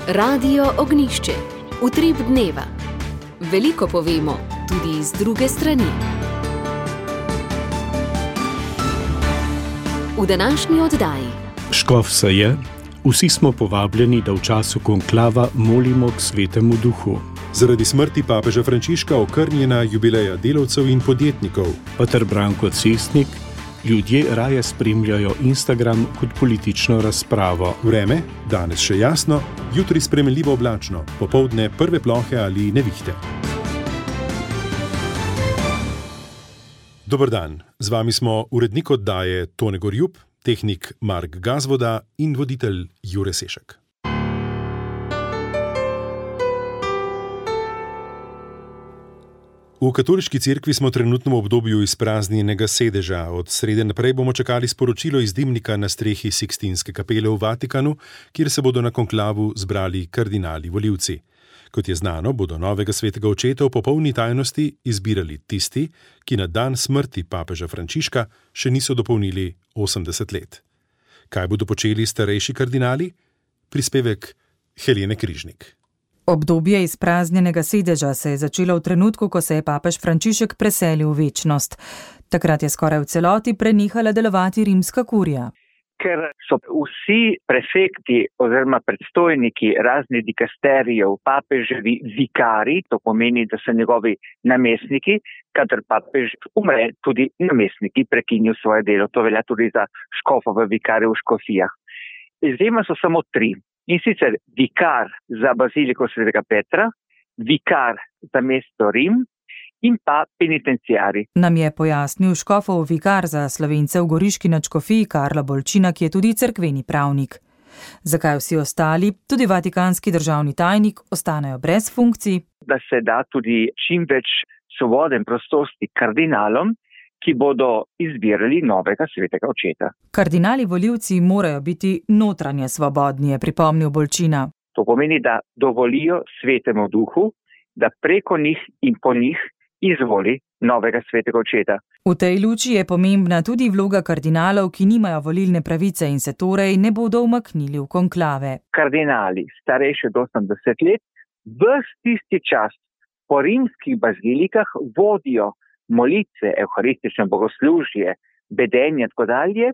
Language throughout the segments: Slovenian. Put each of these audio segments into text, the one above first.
Radio Ognišče, utrip dneva. Veliko povemo, tudi z druge strani. V današnji oddaji. Škof se je, vsi smo povabljeni, da v času konklava molimo k Svetemu Duhu. Zaradi smrti papeža Frančiška okrnjena jubileja delavcev in podjetnikov. Pater Branko Cestnik, ljudje raje spremljajo Instagram kot politično razpravo. Vreme, danes še jasno, jutri spremenljivo oblačno, popoldne prve plohe ali nevihte. Dober dan, z vami smo urednik oddaje Tone Gorjup, tehnik Mark Gazvoda in voditelj Jure Sešek. V katoliški cerkvi smo trenutno v obdobju izpraznjenega sedeža. Od srede naprej bomo čakali sporočilo iz dimnika na strehi Sikstinske kapele v Vatikanu, kjer se bodo na konklavu zbrali kardinali volivci. Kot je znano, bodo novega svetega očeta v popolni tajnosti izbirali tisti, ki na dan smrti papeža Frančiška še niso dopolnili 80 let. Kaj bodo počeli starejši kardinali? Prispevek Helene Križnik. Obdobje izpraznjenega sedeža se je začelo v trenutku, ko se je papež Frančišek preselil v večnost. Takrat je skoraj v celoti prenehala delovati rimska kurija. Ker so vsi prefekti oziroma predstojniki raznih dikasterijev papeževi vikari, to pomeni, da so njegovi namestniki, kadar papež umre, tudi namestniki prekinijo svoje delo. To velja tudi za škofove vikare v škofijah. Izjema so samo 3. In sicer vikar za baziliko svetega Petra, vikar za mesto Rim in pa penitenciari. Nam je pojasnil škofov vikar za Slovence v Goriški nadškofiji Karlo Bolčina, ki je tudi cerkveni pravnik. Zakaj vsi ostali, tudi vatikanski državni tajnik, ostanejo brez funkcij? Da se da tudi čim več svobode in prostosti kardinalom, ki bodo izbirali novega svetega očeta. Kardinali volivci morajo biti notranje svobodni, je pripomnil Bolčina. To pomeni, da dovolijo Svetemu Duhu, da preko njih in po njih izvoli novega svetega očeta. V tej luči je pomembna tudi vloga kardinalov, ki nimajo volilne pravice in se torej ne bodo umaknili v konklave. Kardinali, starejši od 80 let, ves tisti čas po rimskih bazilikah vodijo molitve, evharistične bogoslužje, bedenje in tako dalje,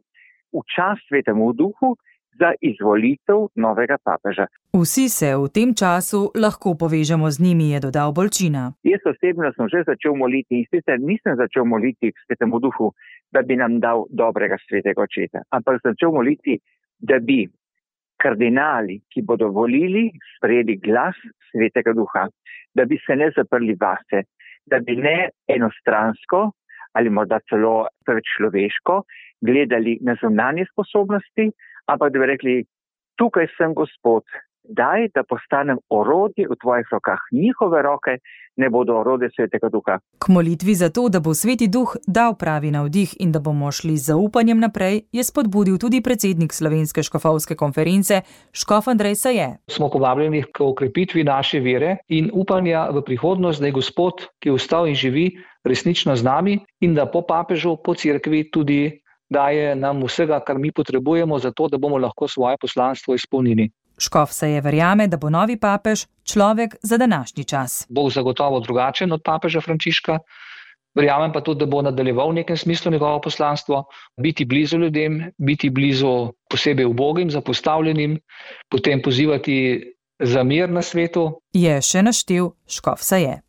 v čas Svetemu Duhu za izvolitev novega papeža. Vsi se v tem času lahko povežemo z njimi, je dodal Bolčina. Jaz osebno sem že začel moliti in sicer nisem začel moliti k Svetemu Duhu, da bi nam dal dobrega svetega očeta, ampak začel moliti, da bi kardinali, ki bodo volili, sprejeli glas Svetega Duha, da bi se ne zaprli vase, da bi ne enostransko ali morda celo preveč človeško gledali na zunanje sposobnosti, ampak da bi rekli, tukaj sem Gospod, daj, da postanem orodje v tvojih rokah. Njihove roke ne bodo orodje Svetega Duha. K molitvi za to, da bo Sveti Duh dal pravi navdih in da bomo šli z zaupanjem naprej, je spodbudil tudi predsednik Slovenske škofovske konference, škof Andrej Saje. Smo povabljeni k okrepitvi naše vere in upanja v prihodnost, da je Gospod, ki je vstal in živi, resnično z nami in da po papežu, po cerkvi tudi daje nam vsega, kar mi potrebujemo za to, da bomo lahko svoje poslanstvo izpolnili. Škof Saje verjame, da bo novi papež človek za današnji čas. Bo zagotovo drugačen od papeža Frančiška, verjamem pa tudi, da bo nadaljeval v nekem smislu njegovo poslanstvo, biti blizu ljudem, biti blizu posebej ubogim, zapostavljenim, potem pozivati za mir na svetu. Je še naštel škof Saje.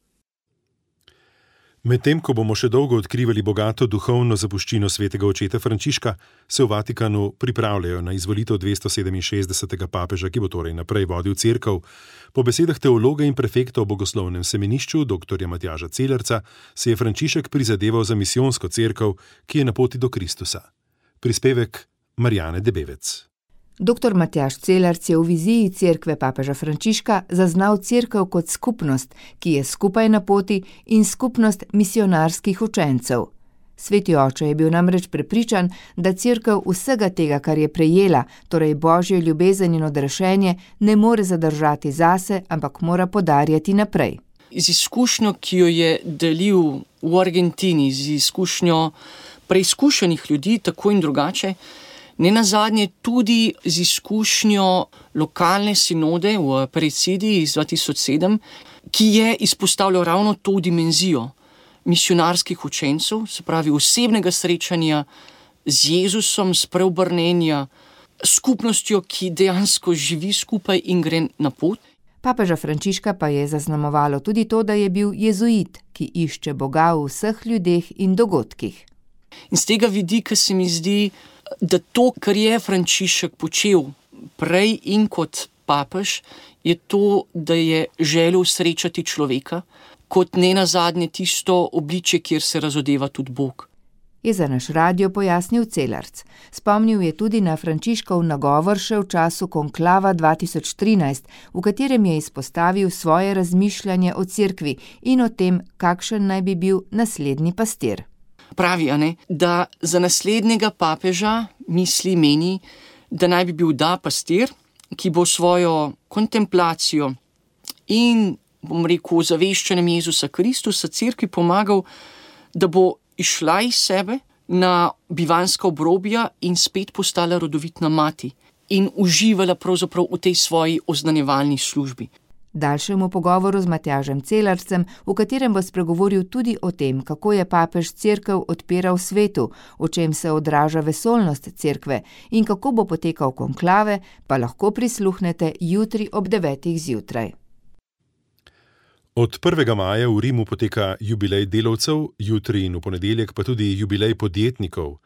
Medtem, ko bomo še dolgo odkrivali bogato duhovno zapuščino svetega očeta Frančiška, se v Vatikanu pripravljajo na izvolitev 267. papeža, ki bo torej naprej vodil cerkev. Po besedah teologa in prefekta v bogoslovnem semenišču, dr. Matjaža Celerca, se je Frančišek prizadeval za misijonsko cerkev, ki je na poti do Kristusa. Prispevek Marjane Debevec. Dr. Matjaž Celerc je v viziji cerkve papeža Frančiška zaznal cerkev kot skupnost, ki je skupaj na poti in skupnost misionarskih učencev. Sveti oče je bil namreč prepričan, da cerkev vsega tega, kar je prejela, torej božjo ljubezen in odrešenje, ne more zadržati zase, ampak mora podarjati naprej. Z izkušnjo, ki jo je delil v Argentini, z izkušnjo preizkušenih ljudi, tako in drugače, Ne nazadnje tudi z izkušnjo lokalne sinode v Perecidi iz 2007, ki je izpostavljal ravno to dimenzijo misionarskih učencev, se pravi osebnega srečanja z Jezusom, spreobrnenja, skupnostjo, ki dejansko živi skupaj in gre na pot. Papeža Frančiška pa je zaznamovalo tudi to, da je bil jezuit, ki išče Boga v vseh ljudeh in dogodkih. In z tega vidika se mi zdi, da to, kar je Frančišek počel prej in kot papež, je to, da je želel srečati človeka, kot ne nazadnje tisto obličje, kjer se razodeva tudi Bog. Je za naš radio pojasnil Celarc. Spomnil je tudi na Frančiškov nagovor še v času konklava 2013, v katerem je izpostavil svoje razmišljanje o cerkvi in o tem, kakšen naj bi bil naslednji pastir. Pravi, da za naslednjega papeža meni, da naj bi bil pastir, ki bo svojo kontemplacijo in, zaveščanjem Jezusa Kristusa cerkvi pomagal, da bo išla iz sebe na bivanska obrobja in spet postala rodovitna mati in uživala pravzaprav v tej svoji oznanjevalni službi. Daljšemu pogovoru z Matjažem Celarcem, v katerem bo spregovoril tudi o tem, kako je papež cerkev odpiral svetu, o čem se odraža vesoljnost cerkve in kako bo potekal konklave, pa lahko prisluhnete jutri ob 9. zjutraj. Od 1. maja v Rimu poteka jubilej delavcev, jutri in v ponedeljek pa tudi jubilej podjetnikov.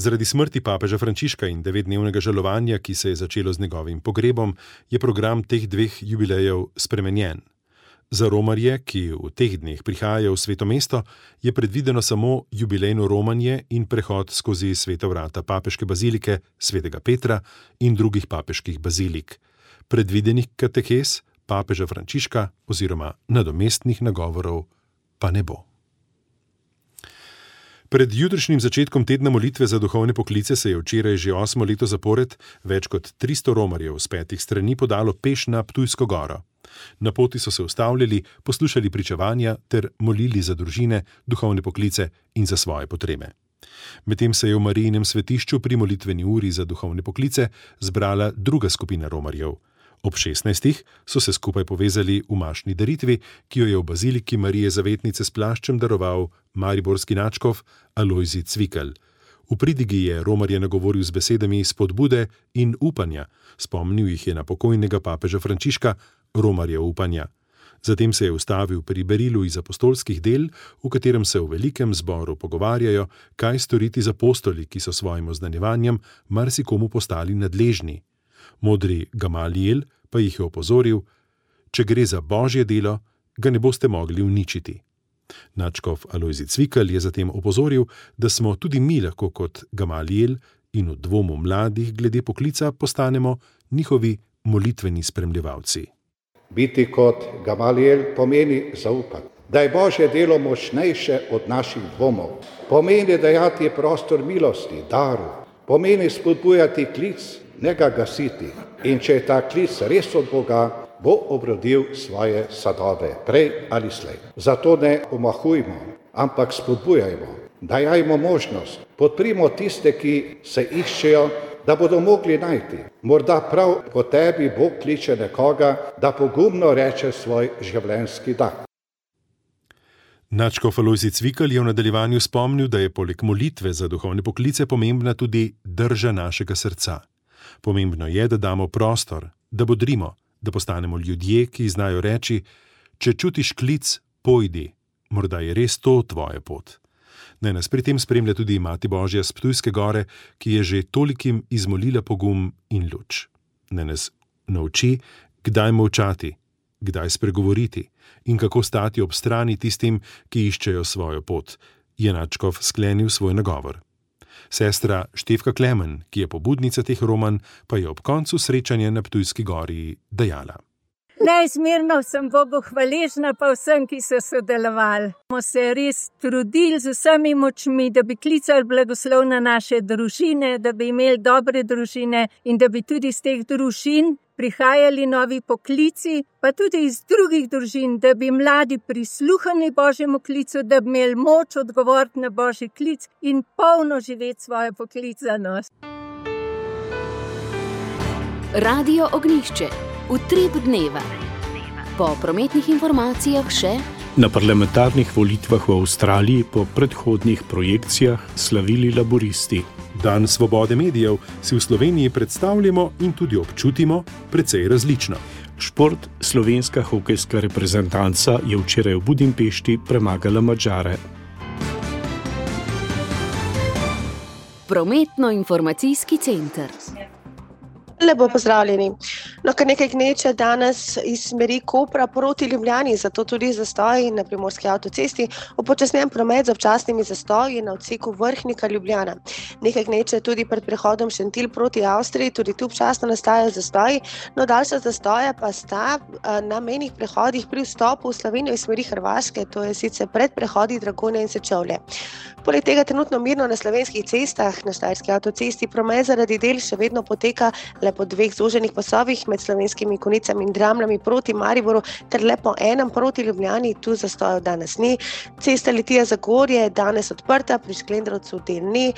Zaradi smrti papeža Frančiška in 9-dnevnega žalovanja, ki se je začelo z njegovim pogrebom, je program teh dveh jubilejev spremenjen. Za romarje, ki v teh dneh prihajajo v Sveto mesto, je predvideno samo jubilejno romanje in prehod skozi sveta vrata papeške bazilike svetega Petra in drugih papeških bazilik. Predvidenih katehes papeža Frančiška oziroma nadomestnih nagovorov pa ne bo. Pred jutrišnjim začetkom tedna molitve za duhovne poklice se je včeraj že 8. leto zapored več kot 300 romarjev z 5 strani podalo peš na Ptujsko goro. Na poti so se ustavljali, poslušali pričevanja ter molili za družine, duhovne poklice in za svoje potrebe. Medtem se je v Marijinem svetišču pri molitveni uri za duhovne poklice zbrala druga skupina romarjev. Ob 16. so se skupaj povezali v mašni daritvi, ki jo je v baziliki Marije Zavetnice s plaščem daroval mariborski nadškof Alojzij Cvikl. V pridigi je romarje nagovoril z besedami spodbude in upanja, spomnil jih je na pokojnega papeža Frančiška, romarje upanja. Zatem se je ustavil pri berilu iz apostolskih del, v katerem se v velikem zboru pogovarjajo, kaj storiti z apostoli, ki so svojim oznanjevanjem marsikomu postali nadležni. Modri Gamaliel pa jih je opozoril, če gre za Božje delo, ga ne boste mogli uničiti. Nadškof Alojzij Cvikl je zatem opozoril, da smo tudi mi lahko kot Gamaliel in v dvomu mladih glede poklica postanemo njihovi molitveni spremljevalci. Biti kot Gamaliel pomeni zaupati, da je Božje delo močnejše od naših dvomov. Pomeni dajati prostor milosti, daru. Pomeni spodbujati klic, ne ga gasiti. In če je ta klic res od Boga, bo obrodil svoje sadove, prej ali slej. Zato ne omahujmo, ampak spodbujajmo, dajajmo možnost, podprimo tiste, ki se iščejo, da bodo mogli najti. Morda prav po tebi Bog kliče nekoga, da pogumno reče svoj življenjski da. Nadškof Alojzij Cvikl je v nadaljevanju spomnil, da je poleg molitve za duhovne poklice pomembna tudi drža našega srca. Pomembno je, da damo prostor, da bodrimo, da postanemo ljudje, ki znajo reči, če čutiš klic, pojdi, morda je res to tvoja pot. Naj nas pri tem spremlja tudi Mati Božja s Ptujske gore, ki je že tolikim izmolila pogum in luč. Naj nas nauči, kdaj molčati, kdaj spregovoriti in kako stati ob strani tistim, ki iščejo svojo pot, je nadškof sklenil svoj nagovor. Sestra Štefka Klemen, ki je pobudnica teh romanj, pa je ob koncu srečanja na Ptujski gori dejala. Neizmerno sem Bogu hvaležna pa vsem, ki so sodelovali. Smo se res trudili z vsemi močmi, da bi klicali blagoslov na naše družine, da bi imeli dobre družine in da bi tudi iz teh družin prihajali novi poklici, pa tudi iz drugih družin, da bi mladi prisluhnili Božjemu klicu, da bi imeli moč odgovoriti na Božji klic in polno živeti svojo poklicanost. Radio Ognjišče, utrip dneva. Po prometnih informacijah še: na parlamentarnih volitvah v Avstraliji po predhodnih projekcijah slavili laburisti. Dan svobode medijev si v Sloveniji predstavljamo in tudi občutimo precej različno. Šport, slovenska hokejska reprezentanca je včeraj v Budimpešti premagala Madžare. Prometno-informacijski center. Lepo pozdravljeni. Kar nekaj gneče danes iz smeri Kopra proti Ljubljani, zato tudi zastoji na Primorski avtocesti, upočasnjen promet z občasnimi zastoji na odseku Vrhnika-Ljubljana. Nekaj gneče tudi pred prehodom Šentilj proti Avstriji, tudi tu občasno nastajajo zastoji, no daljša zastoja pa sta na mejnih prehodih pri vstopu v Slovenijo iz smeri Hrvaške, to je sicer pred prehodi Dragonje in Sečovlje. Poleg tega trenutno mirno na slovenskih cestah, na Štajerski avtocesti promet zaradi del še vedno poteka le po dveh zoženih pasovih med Slovenskimi Konicami in Dramljami proti Mariboru ter le po enem proti Ljubljani, tu zastojev danes ni. Cesta Litija-Zagorje je danes odprta, pri Šklendrovcu del ni.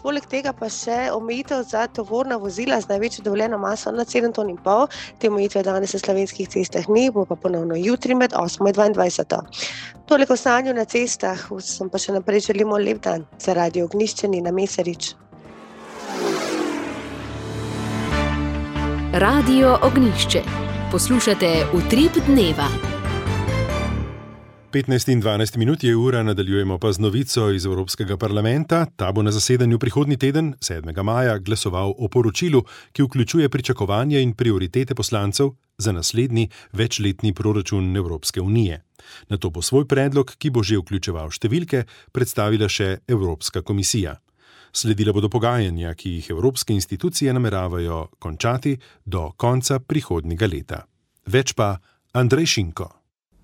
Poleg tega pa še omejitev za tovorna vozila z največjo dovoljeno maso nad 7,5 ton. Te omejitve danes na slovenskih cestah ni, bo pa ponovno jutri med 8 in 22. Toliko o stanju na cestah, vsem pa še naprej želimo lep dan. Za Radio Ognjišče Nina Mesarič. Radio Ognjišče. Poslušate utrip dneva. 15 in 12 minut je ura, nadaljujemo pa z novico iz Evropskega parlamenta. Ta bo na zasedanju prihodnji teden, 7. maja, glasoval o poročilu, ki vključuje pričakovanja in prioritete poslancev za naslednji večletni proračun Evropske unije. Nato bo svoj predlog, ki bo že vključeval številke, predstavila še Evropska komisija. Sledila bodo pogajanja, ki jih evropske institucije nameravajo končati do konca prihodnjega leta. Več pa Andrej Šinko.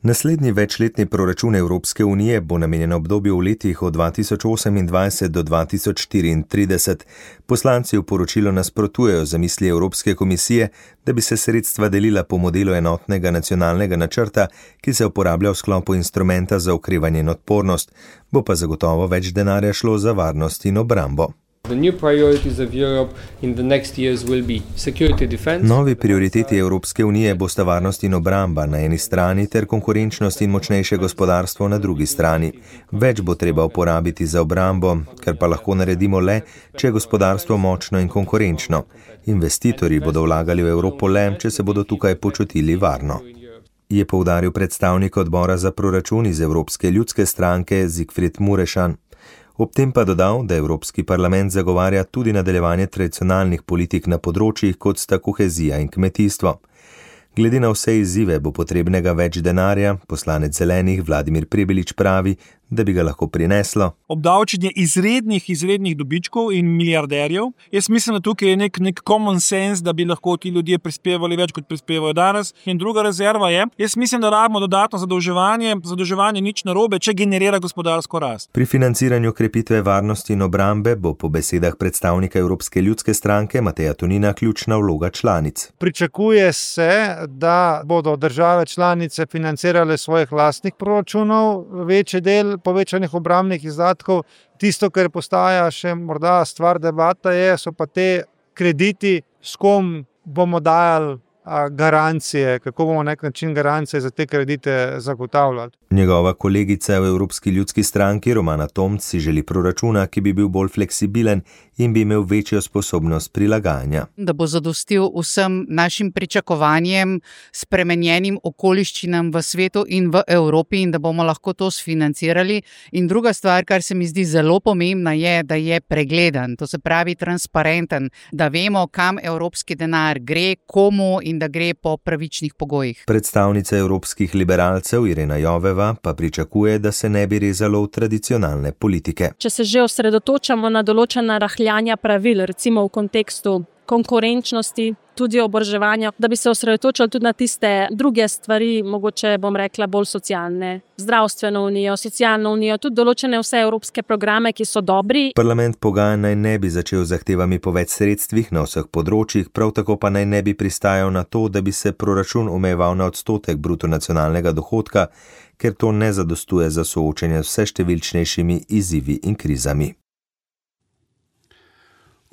Naslednji večletni proračun Evropske unije bo namenjen obdobju v letih od 2028 do 2034. Poslanci v poročilu nasprotujejo zamisli Evropske komisije, da bi se sredstva delila po modelu enotnega nacionalnega načrta, ki se uporablja v sklopu instrumenta za okrevanje in odpornost, bo pa zagotovo več denarja šlo za varnost in obrambo. Novi prioriteti Evropske unije bosta varnost in obramba na eni strani ter konkurenčnost in močnejše gospodarstvo na drugi strani. Več bo treba uporabiti za obrambo, kar pa lahko naredimo le, če je gospodarstvo močno in konkurenčno. Investitorji bodo vlagali v Evropo le, če se bodo tukaj počutili varno, je poudaril predstavnik odbora za proračun iz Evropske ljudske stranke Zigfrid Murešan. Ob tem pa dodal, da Evropski parlament zagovarja tudi nadaljevanje tradicionalnih politik na področjih, kot sta kohezija in kmetijstvo. Glede na vse izzive bo potrebnega več denarja, poslanec Zelenih Vladimir Prebelič pravi, da bi ga lahko prineslo obdavčenje izrednih dobičkov in milijarderjev. Jaz mislim, da tukaj je nek common sense, da bi lahko ti ljudje prispevali več, kot prispevajo danes. In druga rezerva je, jaz mislim, da rabimo dodatno zadolževanje nič narobe, če generira gospodarsko rast. Pri financiranju krepitve varnosti in obrambe bo po besedah predstavnika Evropske ljudske stranke Mateja Tonina ključna vloga članic. Pričakuje se, da bodo države članice financirale svojih lastnih proračunov, večji del povečanih obrambnih izdatkov. Tisto, kar postaja še morda stvar debata, so pa te krediti, s kom bomo dajali garancije, kako bomo na nek način garancije za te kredite zagotavljali. Njegova kolegica v Evropski ljudski stranki Romana Tomc si želi proračuna, ki bi bil bolj fleksibilen in bi imel večjo sposobnost prilagajanja. Da bo zadostil vsem našim pričakovanjem, spremenjenim okoliščinam v svetu in v Evropi in da bomo lahko to sfinancirali. In druga stvar, kar se mi zdi zelo pomembna, je, da je pregleden, to se pravi transparenten, da vemo, kam evropski denar gre, komu in da gre po pravičnih pogojih. Predstavnica evropskih liberalcev Irena Joveva pa pričakuje, da se ne bi rezalo v tradicionalne politike. Če se že osredotočamo na določena rahljanja pravil, recimo v kontekstu konkurenčnosti, tudi oboroževanja, da bi se osredotočili tudi na tiste druge stvari, mogoče bom rekla bolj socialne, zdravstveno unijo, socialno unijo, tudi določene vse evropske programe, ki so dobri. Parlament pogajanj naj ne bi začel zahtevami po več sredstvih na vseh področjih, prav tako pa naj ne bi pristajal na to, da bi se proračun omejeval na odstotek bruto nacionalnega dohodka, ker to ne zadostuje za soočenje s vse številčnejšimi izzivi in krizami.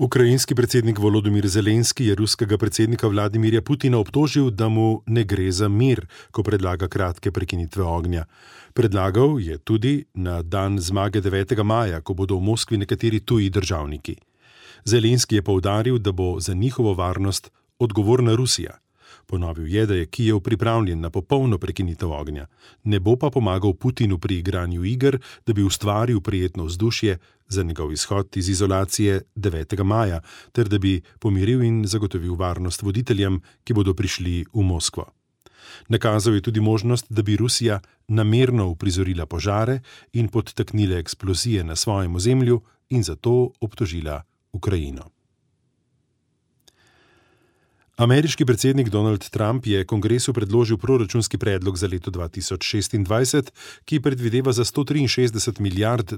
Ukrajinski predsednik Volodymyr Zelenski je ruskega predsednika Vladimirja Putina obtožil, da mu ne gre za mir, ko predlaga kratke prekinitve ognja. Predlagal je tudi na dan zmage 9. maja, ko bodo v Moskvi nekateri tuji državniki. Zelenski je poudaril, da bo za njihovo varnost odgovorna Rusija. Ponovil je, da je Kijev pripravljen na popolno prekinitev ognja. Ne bo pa pomagal Putinu pri igranju iger, da bi ustvaril prijetno vzdušje za njegov izhod iz izolacije 9. maja, ter da bi pomiril in zagotovil varnost voditeljem, ki bodo prišli v Moskvo. Nakazal je tudi možnost, da bi Rusija namerno uprizorila požare in podtaknila eksplozije na svojem ozemlju in zato obtožila Ukrajino. Ameriški predsednik Donald Trump je kongresu predložil proračunski predlog za leto 2026, ki predvideva za $163 milijard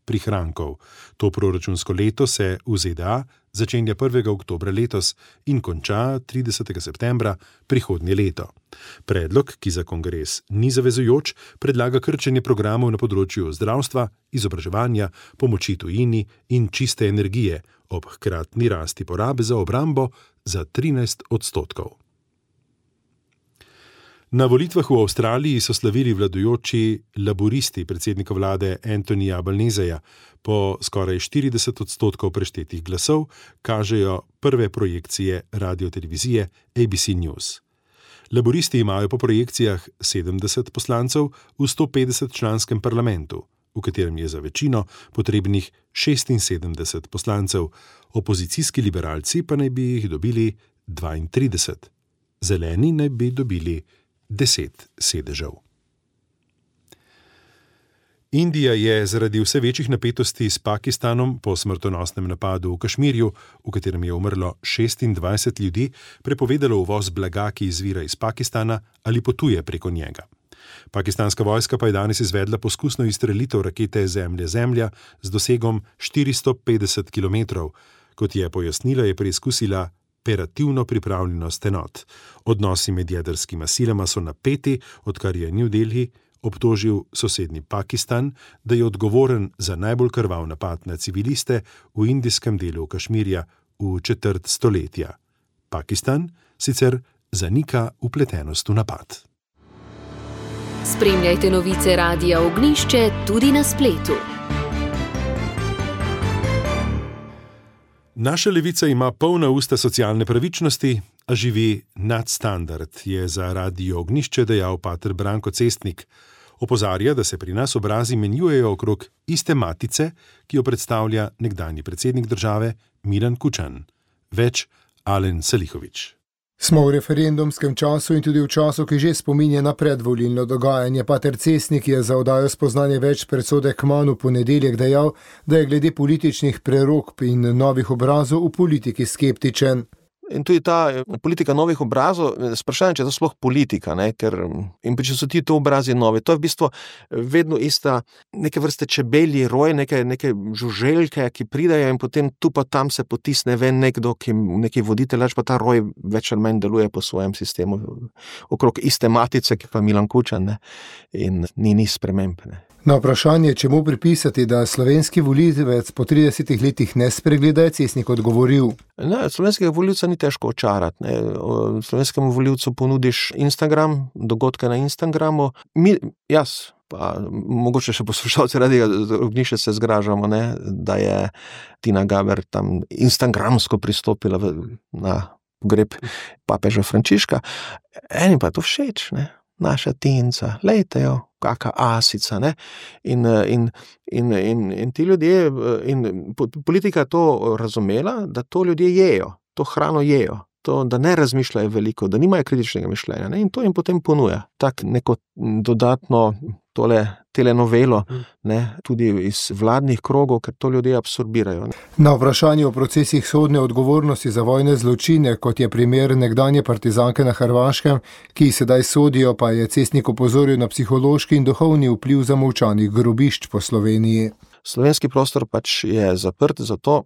prihrankov. To proračunsko leto se v ZDA začenja 1. oktobra letos in konča 30. septembra prihodnje leto. Predlog, ki za kongres ni zavezujoč, predlaga krčenje programov na področju zdravstva, izobraževanja, pomoči tujini in čiste energije, ob hkratni rasti porabe za obrambo za 13%. Na volitvah v Avstraliji so slavili vladajoči laburisti predsednika vlade Anthonyja Albaneseja. Po skoraj 40% preštetih glasov kažejo prve projekcije radiotelevizije ABC News. Laburisti imajo po projekcijah 70 poslancev v 150-članskem parlamentu, v katerem je za večino potrebnih 76 poslancev, opozicijski liberalci pa naj bi jih dobili 32. Zeleni naj bi dobili 10 sedežev. Indija je zaradi vse večjih napetosti s Pakistanom po smrtonosnem napadu v Kašmirju, v katerem je umrlo 26 ljudi, prepovedala uvoz blaga, ki izvira iz Pakistana ali potuje preko njega. Pakistanska vojska pa je danes izvedla poskusno izstrelitev rakete Zemlja z dosegom 450 km. Kot je pojasnila, je preizkusila operativno pripravljenost enot. Odnosi med jedrskima silama so napeti, odkar je New Delhi obtožil sosednji Pakistan, da je odgovoren za najbolj krvav napad na civiliste v indijskem delu Kašmirja v četrt stoletja. Pakistan sicer zanika vpletenost v napad. Spremljajte novice Radia Ognjišče tudi na spletu. Naša levica ima polna usta socialne pravičnosti, a živi nadstandard, je za Radio Ognjišče dejal pater Branko Cestnik. Opozarja, da se pri nas obrazi menjujejo okrog iste matice, ki jo predstavlja nekdanji predsednik države Milan Kučan. Več Alen Salihović. Smo v referendumskem času in tudi v času, ki že spominja na predvolilno dogajanje. Pater Cestnik je za oddajo Spoznanje več presode kmalu ponedeljek dejal, da je glede političnih prerokb in novih obrazov v politiki skeptičen. In tudi ta politika novih obrazov, sprašujem, če je to sploh politika, ne? Ker če so ti to obrazi novi, to je v bistvu vedno ista neke vrste čebelji roj, neke žuželjke, ki pridajo in potem tu pa tam se potisne ven nekdo, neki voditelj, pa ta roj več ali manj deluje po svojem sistemu, okrog iste matice, ki pa Milan Kučan, ne? In ni sprememb, ne? Na vprašanje, čemu pripisati, da slovenski volivec po 30 letih ne spregleda, je Cestnik odgovoril. Ne, slovenskega volivca ni težko očarati. Ne. Slovenskemu volivcu ponudiš Instagram, dogodke na Instagramu. Jaz, pa mogoče še poslušalci Radia Ognjišče se zgražamo, ne, da je Tina Gaber tam instagramsko pristopila na pogreb papeža Frančiška. Enim pa je to všeč, ne. Naša Tinca, lejte jo, kaka asica, ne, in ti ljudje, in politika je to razumela, da to ljudje jejo, to hrano jejo, to, da ne razmišljajo veliko, da nimajo kritičnega mišljenja, ne, in to jim potem ponuja, tak neko dodatno telenovelo, ne, tudi iz vladnih krogov, ker to ljudje absorbirajo. Ne. Na vprašanje o procesih sodne odgovornosti za vojne zločine, kot je primer nekdanje partizanke na Hrvaškem, ki sedaj sodijo, pa je Cestnik opozoril na psihološki in duhovni vpliv zamolčanih grobišč po Sloveniji. Slovenski prostor pač je zaprt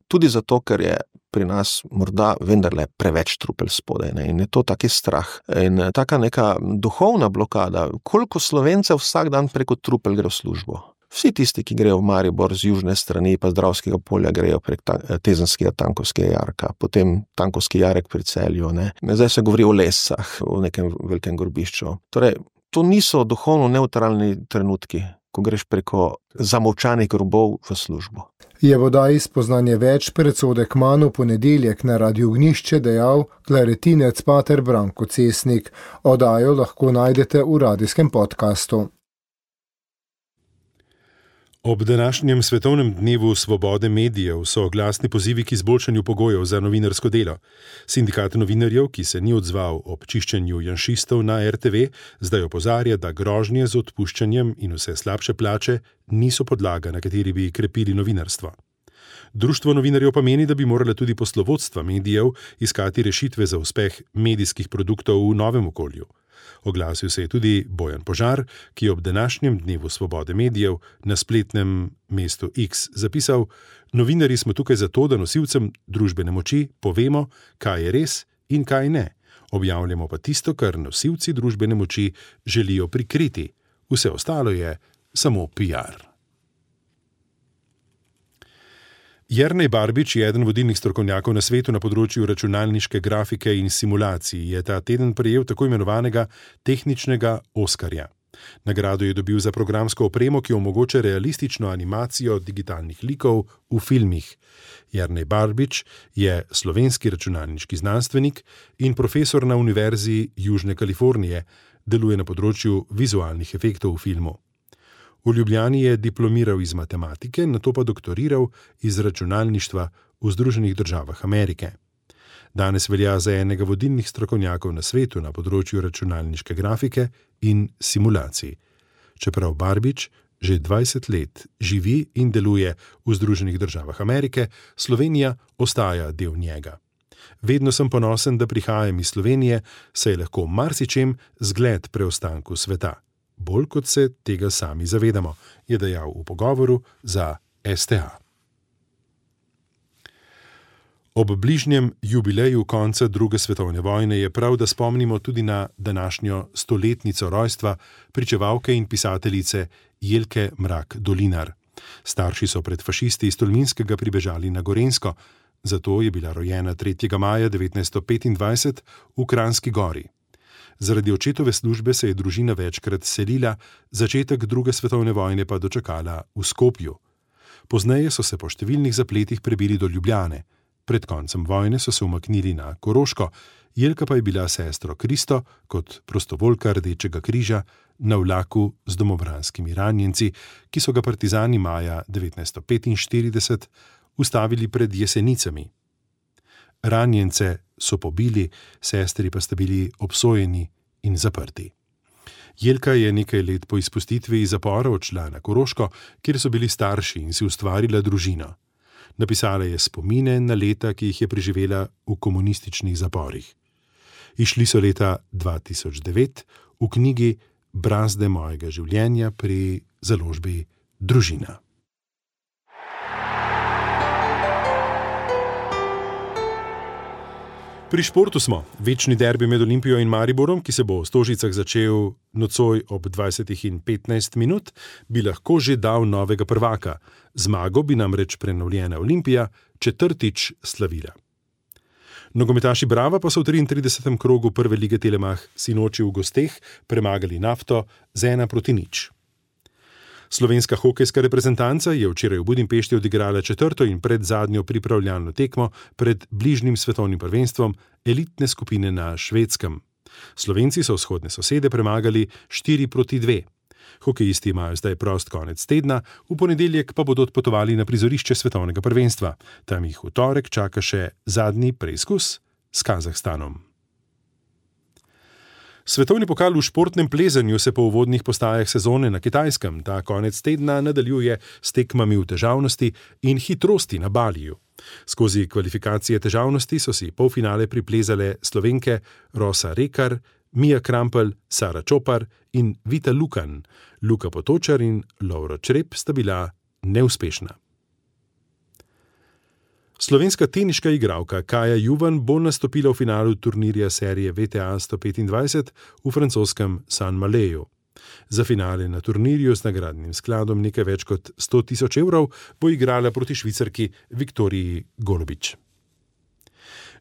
tudi zato, ker je pri nas morda vendarle preveč trupel spodaj, ne? In je to taki strah. In taka neka duhovna blokada, koliko Slovencev vsak dan preko trupel gre v službo. Vsi tisti, ki grejo v Maribor z južne strani, pa z Dravskega polja, grejo prek Tezenskega Tankovskega jarka, potem Tankovski jarek pri Celju. Zdaj se govori o Lesah, o nekem velikem grobišču. Torej, to niso duhovno nevtralni trenutki, ko greš preko zamolčanih grobov v službo. Je v oddaji Spoznanje več predsodek Kmanu ponedeljek na Radiu Ognjišče dejal klaretinec pater Branko Cesnik. Oddajo lahko najdete v radijskem podkastu. Ob današnjem svetovnem dnevu svobode medijev so glasni pozivi k izboljšanju pogojev za novinarsko delo. Sindikat novinarjev, ki se ni odzval ob čiščenju janšistov na RTV, zdaj opozarja, da grožnje z odpuščanjem in vse slabše plače niso podlaga, na kateri bi krepili novinarstvo. Društvo novinarjev pa meni, da bi morala tudi poslovodstva medijev iskati rešitve za uspeh medijskih produktov v novem okolju. Oglasil se je tudi Bojan Požar, ki je ob današnjem dnevu svobode medijev na spletnem mestu X zapisal: "Novinarji smo tukaj zato, da nosilcem družbene moči povemo, kaj je res in kaj ne. Objavljamo pa tisto, kar nosilci družbene moči želijo prikriti. Vse ostalo je samo PR." Jernej Barbič je eden vodilnih strokovnjakov na svetu na področju računalniške grafike in simulacij. Je ta teden prejel tako imenovanega tehničnega Oskarja. Nagrado je dobil za programsko opremo, ki omogoča realistično animacijo digitalnih likov v filmih. Jernej Barbič je slovenski računalniški znanstvenik in profesor na Univerzi Južne Kalifornije, deluje na področju vizualnih efektov v filmu. V Ljubljani je diplomiral iz matematike, nato pa doktoriral iz računalništva v Združenih državah Amerike. Danes velja za enega vodilnih strokovnjakov na svetu na področju računalniške grafike in simulacij. Čeprav Barbič že 20 let živi in deluje v Združenih državah Amerike, Slovenija ostaja del njega. Vedno sem ponosen, da prihajam iz Slovenije, saj je lahko marsičem zgled preostanku sveta. Bolj kot se tega sami zavedamo, je dejal v pogovoru za STA. Ob bližnjem jubileju konca druge svetovne vojne je prav, da spomnimo tudi na današnjo stoletnico rojstva pričevalke in pisateljice Jelke Mrak-Dolinar. Starši so pred fašisti iz Tolminskega pribežali na Gorenjsko, zato je bila rojena 3. maja 1925 v Kranjski Gori. Zaradi očetove službe se je družina večkrat selila, začetek druge svetovne vojne pa dočakala v Skopju. Pozneje so se po številnih zapletih prebili do Ljubljane. Pred koncem vojne so se umaknili na Koroško, Jelka pa je bila sestro Kristo kot prostovoljka Rdečega križa na vlaku z domobranskimi ranjenci, ki so ga partizani maja 1945 ustavili pred Jesenicami. Ranjence so pobili, sestri pa sta bili obsojeni in zaprti. Jelka je nekaj let po izpustitvi iz zapora odšla na Koroško, kjer so bili starši, in si ustvarila družino. Napisala je spomine na leta, ki jih je preživela v komunističnih zaporih. Izšli so leta 2009 v knjigi Brazde mojega življenja pri založbi Družina. Pri športu smo. Večni derbi med Olimpijo in Mariborom, ki se bo v Stožicah začel nocoj ob 20:15, bi lahko že dal novega prvaka. Zmago bi namreč prenovljena Olimpija četrtič slavila. Nogometaši Brava pa so v 33. krogu prve lige Telemach sinoči v gosteh premagali Nafto z 1:0. Slovenska hokejska reprezentanca je včeraj v Budimpešti odigrala četrto in predzadnjo pripravljalno tekmo pred bližnjim svetovnim prvenstvom elitne skupine na Švedskem. Slovenci so vzhodne sosede premagali 4:2. Hokejisti imajo zdaj prost konec tedna, v ponedeljek pa bodo odpotovali na prizorišče svetovnega prvenstva. Tam jih v torek čaka še zadnji preizkus s Kazahstanom. Svetovni pokal v športnem plezanju se po uvodnih postajah sezone na Kitajskem ta konec tedna nadaljuje s tekmami v težavnosti in hitrosti na Baliju. Skozi kvalifikacije težavnosti so si polfinale priplezale Slovenke Rosa Rekar, Mija Krampelj, Sara Čopar in Vita Lukan. Luka Potočar in Lovro Črep sta bila neuspešna. Slovenska teniška igralka Kaja Juvan bo nastopila v finalu turnirja serije VTA 125 v francoskem Saint-Maléju. Za finale na turnirju z nagradnim skladom nekaj več kot 100 000 evrov bo igrala proti Švicarki Viktoriji Golobič.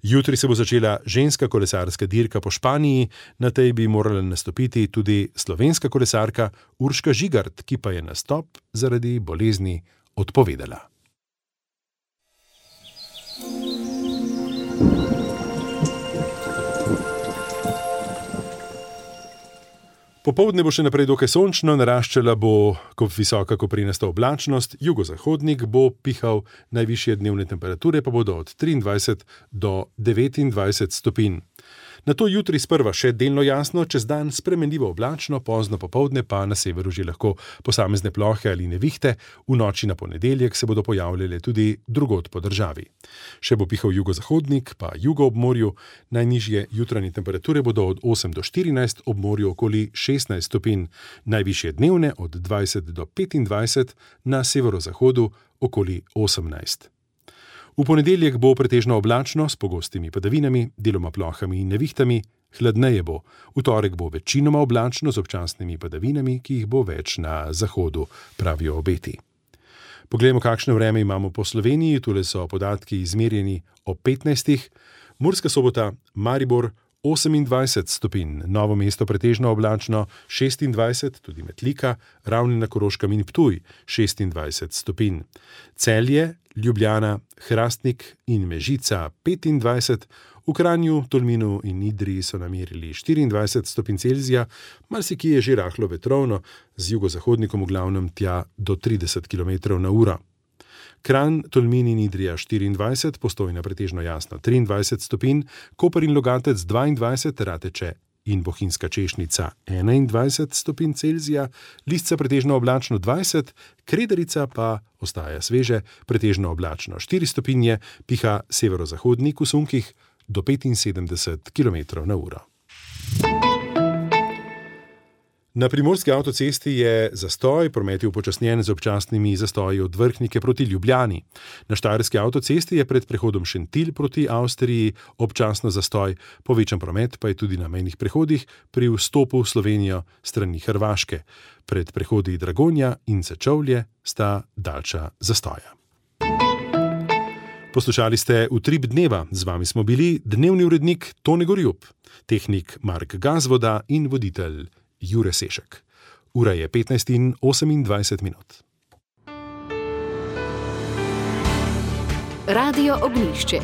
Jutri se bo začela ženska kolesarska dirka po Španiji, na tej bi morala nastopiti tudi slovenska kolesarka Urška Žigart, ki pa je nastop zaradi bolezni odpovedala. Popoldne bo še naprej dokaj sončno, naraščala bo visoka koprenasta oblačnost, jugozahodnik bo pihal, najvišje dnevne temperature pa bodo od 23 do 29 stopinj. Nato jutri sprva še delno jasno, čez dan spremenljivo oblačno, pozno popoldne pa na severu že lahko posamezne plohe ali nevihte, v noči na ponedeljek se bodo pojavljale tudi drugod po državi. Še bo pihal jugozahodnik, pa jugo ob morju, najnižje jutranje temperature bodo od 8 do 14, ob morju okoli 16 stopinj, najvišje dnevne od 20 do 25, na severozahodu okoli 18. V ponedeljek bo pretežno oblačno s pogostimi padavinami, deloma plohami in nevihtami, hladneje bo. V torek bo večinoma oblačno z občasnimi padavinami, ki jih bo več na zahodu, pravijo obeti. Poglejmo, kakšno vreme imamo po Sloveniji. Tule so podatki izmerjeni o 15. Murska Sobota, Maribor 28 stopinj, Novo mesto pretežno oblačno 26, tudi Metlika, Ravne na Koroškem in Ptuj 26 stopinj. Celje, Ljubljana, Hrastnik in Mežica 25, v Kranju, Tolminu in Idriji so namerili 24 stopinj Celzija, marsikje je že rahlo vetrovno, z jugozahodnikom v glavnem tja do 30 km/h. Kranj, Tolmin in Idrija 24, Postojna pretežno jasno 23 stopinj, Koper in Logatec 22, Rateče in Bohinjska Češnica 21 stopinj Celzija, Lisca pretežno oblačno 20, Krederica pa ostaja sveže, pretežno oblačno 4 stopinje, piha severozahodnik v sunkih do 75 km/h. Na primorski avtocesti je zastoj, promet je upočasnjen z občasnimi zastoji od Vrhnike proti Ljubljani. Na štajerski avtocesti je pred prehodom Šentilj proti Avstriji občasno zastoj, povečan promet pa je tudi na mejnih prehodih pri vstopu v Slovenijo strani Hrvaške. Pred prehodi Dragonja in Sečovlje sta daljša zastoja. Poslušali ste Utrip dneva, z vami smo bili dnevni urednik Tone Gorjup, tehnik Mark Gazvoda in voditelj Jure Sešek. Ura je 15:28. Radio Ognjišče.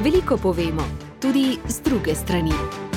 Veliko povemo, tudi z druge strani.